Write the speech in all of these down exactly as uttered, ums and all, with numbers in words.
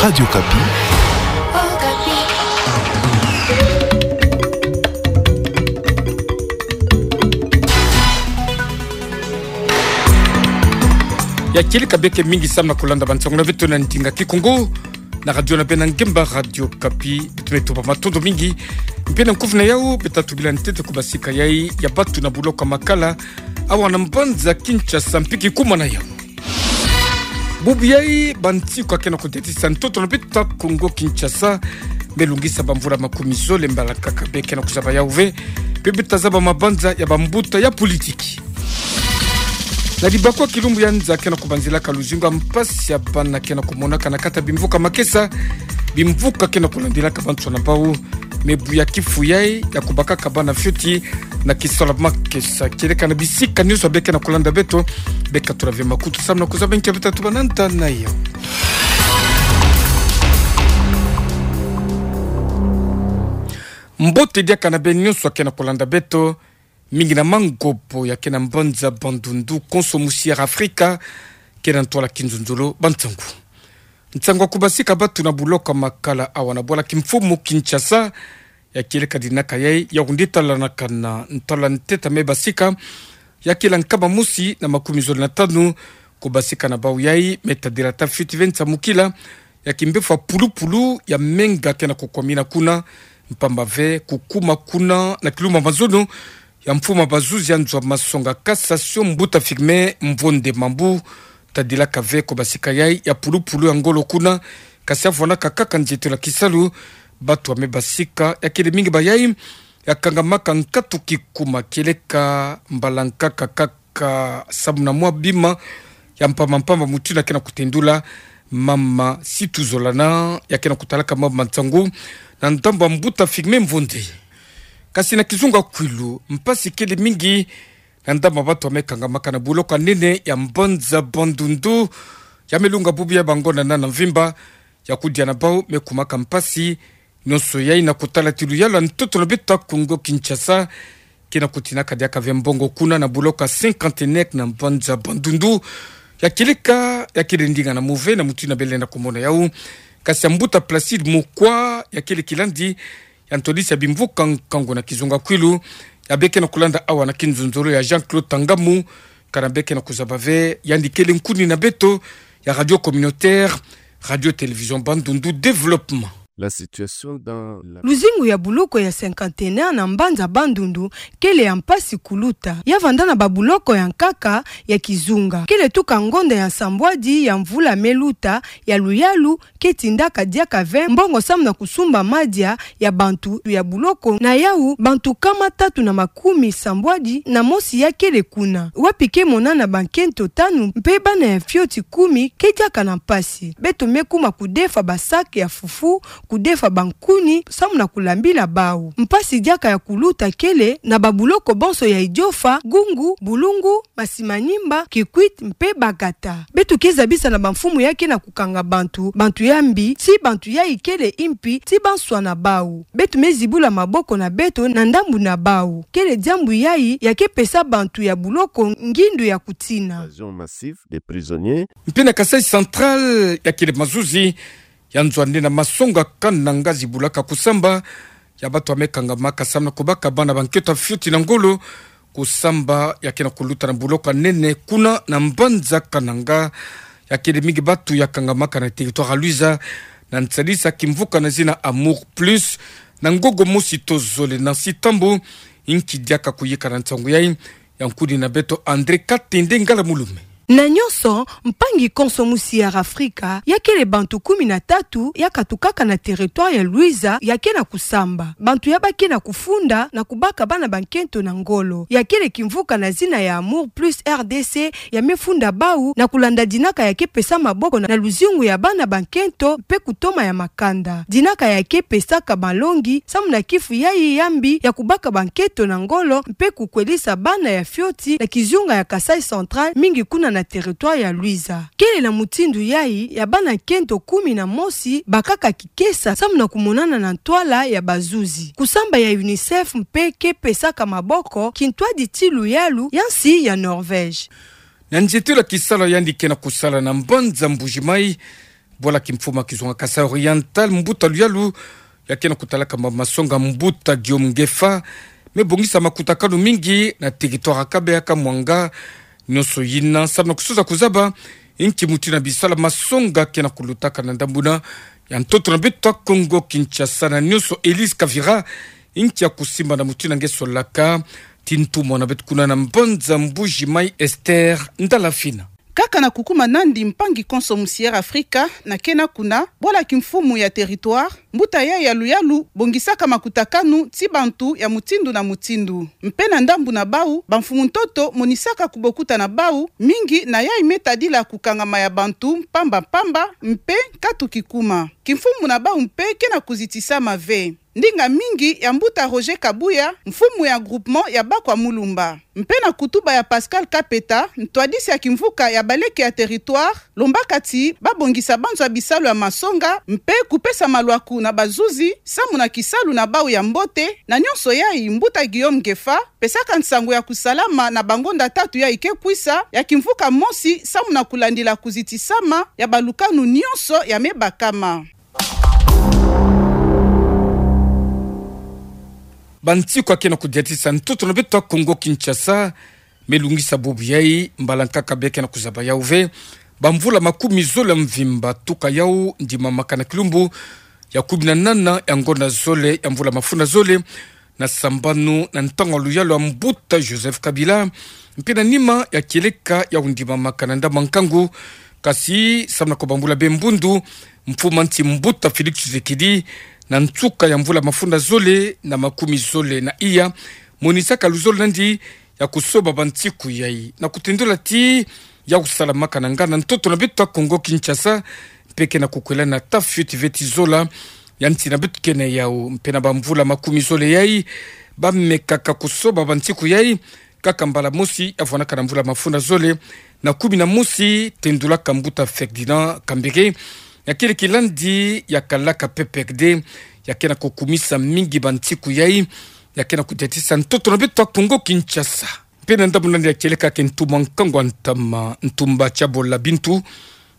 Radio Okapi. Ya kieleka beke mingi samu na kulanda bansangu na beto na ndinga Kikongo na radio na beno ya ngemba, Radio Okapi. Beto me tubama matondo mingi. Mpe na nkufi na yau, beto tubila ntete kubasika yai ya batu na buloko Makala, awa na mbanza Kinshasa, mpe kikuma na yau. Bubu yai, bansiku ya kena kudetisa ntoto na beto Kongo Kinshasa me lungisa bamvula makumi zole mbala nkaka be kena kuzaba yau ve, mpe beto tazaba mabanza ya bambuta ya politiki. Na dibakwa kilumbu ya nza kena kubanzilaka luzingu ya mpasi ya bana kena kumonaka na kati ya bimvuka Makesa, bimvuka kena kulandilaka bansoni na bau, me buya kifu yai ya kubakaka bana fioti na kisalu ya Makesa. Kieleka na bisika nyonso be kena kulanda beto, be katula ve makutu samu na kuzaba nki ya beto tatuba na nta na yau. Mbote diaka na beno nyonso ya kena kulanda beto, mingi na Mangobo ya kena mbanza Bandundu, konso musi ya Afrika, kena ntwala kinzonzolo bansangu. Nsangu ya kubasika batu na buloko Makala awa na bwala kimfumu Kinshasa, ya kieleka dinaka yai ya kunditalanaka na ntwala ntete me basika, ya kila nkama mosi na makumi zole na tanu, kubasika na bau yai me tadila ata fioti ve nsamukila ya kimbevo ya pulupulu ya menga kena kukwamina kuna, mpamba ve kukuma kuna na kilumbu ya mazono ya mfumu ya bazuzi ya nzo ya masonga cassation, mbuta Firmin Mvonde Mambu, tadilaka ve kubasika yai ya pulupulu ya ngolo kuna, kasi avwanaka kaka nzietolo ya kisalu. Batu ya me basika ya kele mingi ba yai ya kangamaka nkatu kikuma, kieleka mbala nkaka kaka samu na mwa bima ya mpamba mpamba mutindu na kena kutendula mama Situ Zolana, ya kena kutalaka mama nsangu na ndambu ya mbuta Firmin Mvonde. Kasi na kizunga kwilu, mpasi kele mingi na ndambu ya batu ya me kangamaka na buloko ya nene ya mbanza Bandundu, ya me lunga bubu ya bangonda na mvimba, ya kudia na bau me kumaka mpasi. Nyonso yai na kutala ti luyalu ya ntoto na beto Kongo Kinshasa kena kutinaka diaka ve mbongo kuna na buloko ya Cinquantenaire na mbanza Bandundu. Ya kieleka, ya kele ndinga na move na mutindu na bele na kumona yau. Kasi ya mbuta Placide Mukwa, ya kele kilandi ya ntwadisi ya bimvuka nkangu na kizunga kwilu, ya be kena kulanda awa na kinzonzolo ya Jean-Claude Tangamu, kana be kena kuzaba ve yandi kele nkuni na beto ya radio communautaire, Radio Télévision Bandundu Développement. La situation dans la... Luzingu ya buloko ya Cinquantenaire na mbanza Bandundu kele ya mpasi kuluta. Ya vanda na babuloko ya nkaka ya kizunga. Kele tuka ngonda ya nsambwadi ya mvula me luta ya luyalu ke tindaka diaka ve mbongo samu na kusumba madia ya bantu ya buloko na yau, bantu nkama tatu na makumi sambwadi na mosi ya kele kuna, wapi ke monana bankento tanu mpe bana ya fioti kumi ke diaka na mpasi. Beto me kuma kudefa ba sac ya fufu, kudefa bankuni samu na kulambila bau. Mpasi diaka ya kuluta kele na babuloko bonso ya Idiofa, Gungu, Bulungu, Masimanimba, Kikwit mpe Bagata. Beto ke zabisa na bamfumu ya kena kukanga bantu, bantu ya mbi, ti bantu yai kele impi, ti banswa na bau. Beto me zibula maboko na beto na ndambu na bau. Kele diambu yai ya ke pesa bantu ya buloko ngindu ya kutina. Invasion massive des prisonniers. Mpe na Kasaï Central, ya kele mazuzi ya nzo ya nene ya masonga Kananga zibulaka kusamba ya batu ya me kangamaka samu na kubaka bana bankento ya fioti na ngolo. Kusamba ya kena kuluta na buloko ya nene kuna na mbanza Kananga. Ya kele mingi batu ya kangamaka na territoire ya Luiza na nsadisa kimvuka na zina Amour Plus, na ngongo mosi to zole na sitambu. Inki diaka kuyika na nsangu yai? Ya nkuni na beto André Katende Ngala Mulume. Na nyonso, mpangi konso musi ya Afrika, ya kele bantu kumi na tatu ya katukaka na territoire ya Luiza ya kena kusamba. Bantu ya ba kena kufunda na kubaka bana bankento na ngolo. Ya kele kimvuka na zina ya Amour Plus R D C ya me funda bau na kulanda dinaka ya ke pesa maboko na, na luzingu ya bana bankento mpe kutoma ya makanda. Dinaka ya ke pesaka malongi samu na kifu yai ya mbi ya kubaka bankento na ngolo mpe kukwelisa bana ya fioti na kizunga ya Kasaï Central, mingi kuna na territoire ya Luiza. Kele na mutindu yai ya bana nkento kumi na mosi bakaka kikesa samu na kumonana na ntwala ya bazuzi. Kusamba ya UNICEF mpe ke pesaka maboko kintwadi ti luyalu ya nsi ya Norvège. Na nzietolo ya kisalu yandi kena kusala na mbanza Mbuji-Mayi, Bwala kimfumu ya kizunga Kasaï Oriental, mbuta luyalu ya kena kutalaka ma masonga, mbuta Guillaume Ngefa, me bongisa makutakanu mingi na territoire ya Kabeya, Kamwanga. Nionso yina samu na kusuza kuzaba inki mutindu na bisalu ya masonga kena kulutaka na ndambu na ya ntoto na beto ya Kongo Kinshasa. Na nionso, Elise Kavira, inki ya kusimba na mutindu nge solaka. Tii ntumwa na beto kuna na mbanza Mbuji-Mayi, Esther Ndalafina. Kaka na kukuma nandi mpangi konso musi Air Africa, na kena kuna, bwala kimfumu ya territoire, mbuta yayi ya luyalu bongisaka makutakanu ti bantu ya mutindu na mutindu. Mpe na ndambu na bawu, bamfumu ntoto monisaka kubokuta na bawu mingi na yayi me tadila kukangama ya bantu mpamba mpamba mpe nkatu kikuma. Kimfumu na bawu mpe kena kuzitisama ve. Ndinga mingi ya mbuta Roger Kabuya, mfumu ya groupement ya Bakwa Mulumba. Mpe na kutuba ya Pascal Kapeta, ntwadisi ya kimvuka ya baleke ya territoire, lombaka ti babongisa banzo ya bisalu ya masonga, mpe kupesa malwaku na bazuzi samu na kisalu na bawu ya mbote. Na nionso yayi, mbuta Guillaume Ngefa pesaka nsangu ya kusalama na bangonda tatu yayi ke kwisa ya kimvuka mosi samu na kulandila kuzitisama ya balukanu nionso ya me bakama. Bansiku ya kena kudiatisa ntoto na beto ya Kongo Kinshasa, me lungisa bubu yayi, mbala nkaka bia kena kuzaba yawu ve. Bamvula makumi zole ya mvimba tuka yawu, ndimamaka na kilumbu ya kumi na nana ya ngonda zole ya mvula mafunda zole, na sambanu na ntangu ya luyalu ya mbuta Joseph Kabila, mpe na nima ya kieleka yawu ndimamaka na ndambu ya nkangu, kasi samu na kubambula be mbundu mfumu a nsi, mbuta Félix Tshisekedi, na nsuka ya mvula mafunda zole na makumi zole na iya, monisaka luzolo nandi ya kusoba bansiku yayi na kutendula ti ya kusalamaka na ngana ntoto na beto ya Kongo Kinshasa, mpe kena kukwela na ta fioti ve ti zola ya nsi na beto kena yawu. Mpe na bamvula makumi zole yayi, bamekaka kusoba bansiku yayi kaka mbala mosi, ya vwanaka na mvula mafunda zole na kumi na mosi, tendulaka mbuta Ferdinand Kambere, ya kele kilandi ya kalaka P P R D, ya kena kukumisa mingi bansiku yayi, ya kena kudiatisa ntoto na beto ya Kongo Kinshasa. Mpe na ndambu nandi ya kieleka ke ntumwa nkangu a ntama, Ntumba Tshabola Bintu,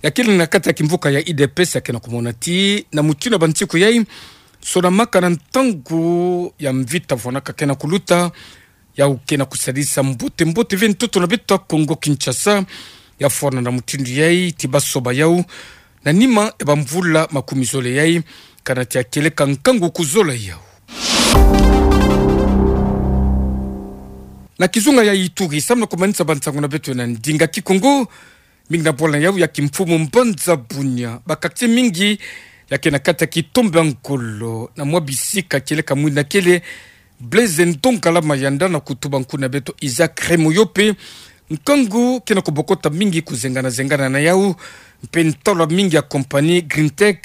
ya kele na kati ya kimvuka ya U D P S, ya kena kumona ti na mutindu ya bansiku yayi, sonamaka na ntangu ya mvita vwanaka kena kuluta, yawu kena kusadisa mbote mbote ve ntoto na beto ya Kongo Kinshasa. Ya fwana na mutindu yayi ti basoba yawu na nima ya bamvula makumi zole yayi, kana ti ya kieleka nkangu kuzola yawu. Na kizunga ya Ituri, samu na kumanisa bansangu na beto na ndinga Kikongo, mingi na bwala yawu ya kimfumu mbanza Bunia, ba quartier mingi ya kena kati ya kitombe ya ngolo na mwa bisika, kieleka mwina kele Blaise Ndongala Mayanda na kutuba nkuna beto Isaac Remoyope, nkangu kena kubokota mingi kuzengana zengana na yawu, mpe ntalwa mingi ya compagnie Greentech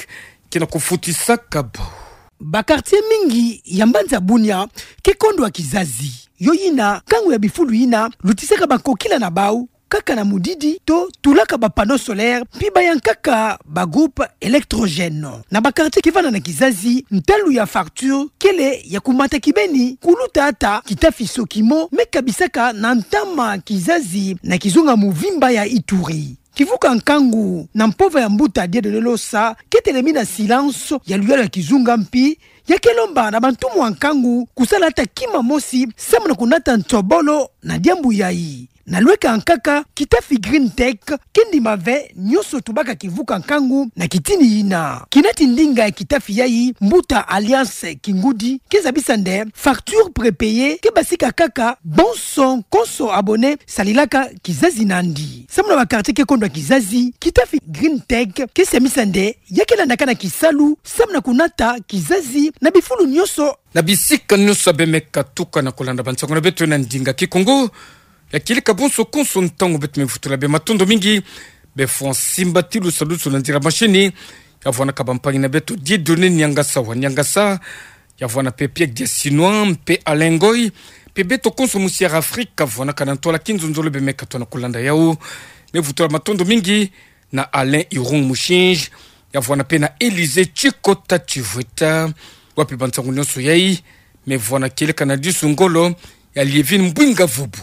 kena kufutisaka bawu. Ba quartier mingi ya mbanza Bunia ke kondwa kizazi. Yo yina nkangu ya bifulu yina lutisaka bakokila na bawu kaka na mudidi to tulaka ba panneaux solaires, mpi bayankaka ba groupes électrogènes. Na ba quartiers kivanda na kizazi, ntalu ya facture kele ya kumata kibeni, kuluta ata kitafi soki mo me kabisaka na ntama kizazi na kizunga muvimba ya Ituri. Kivuka nkangu na mpova ya mbuta Dieudonné Losa ke telemina silence ya luyalu ya kizunga, mpi ya ke lomba na bantumwa nkangu kusala ata kima mosi samu na kunata nsobolo na diambu yayi. Na lweka nkaka, kitafi Greentech ke ndima ve nionso tubaka kivuka nkangu na kitini yina. Kinati ndinga ya kitafi yayi, mbuta Alliance Kingudi ke zabisa nde facture prépayée ke basika kaka bonso konso abonné salilaka kizazi nandi. Samu na ba quartier ke kondwa kizazi, kitafi Greentech ke semisa nde ya ke landaka na kisalu samu na kunata kizazi na bifulu nionso, na bisika nionso ya bemeka tuka na kulanda bansangu na beto na ndinga Kikongo. Ya kieleka bonso konso ntangu beto me vutula be matondo mingi. Be fwa nsimbatilu salusu na nzila machini ya vwanaka bampangi na beto Dieudonné Niangasa wa Niangasa, ya vwana mpe Pierre Diasinois mpe Alain Ngoy, mpe beto konso musi Air Afrique, ya vwanaka na ntwala kinzonzolo bemeka tona kulanda yawu. Me vutula matondo mingi na Alain Irung Mushinji, ya vwana mpe na Élysée Tshikota Tshivweta, wapi bansangu nionso yayi me vwana kieleka na disu ngolo ya Liévine Mbwinga Vubu.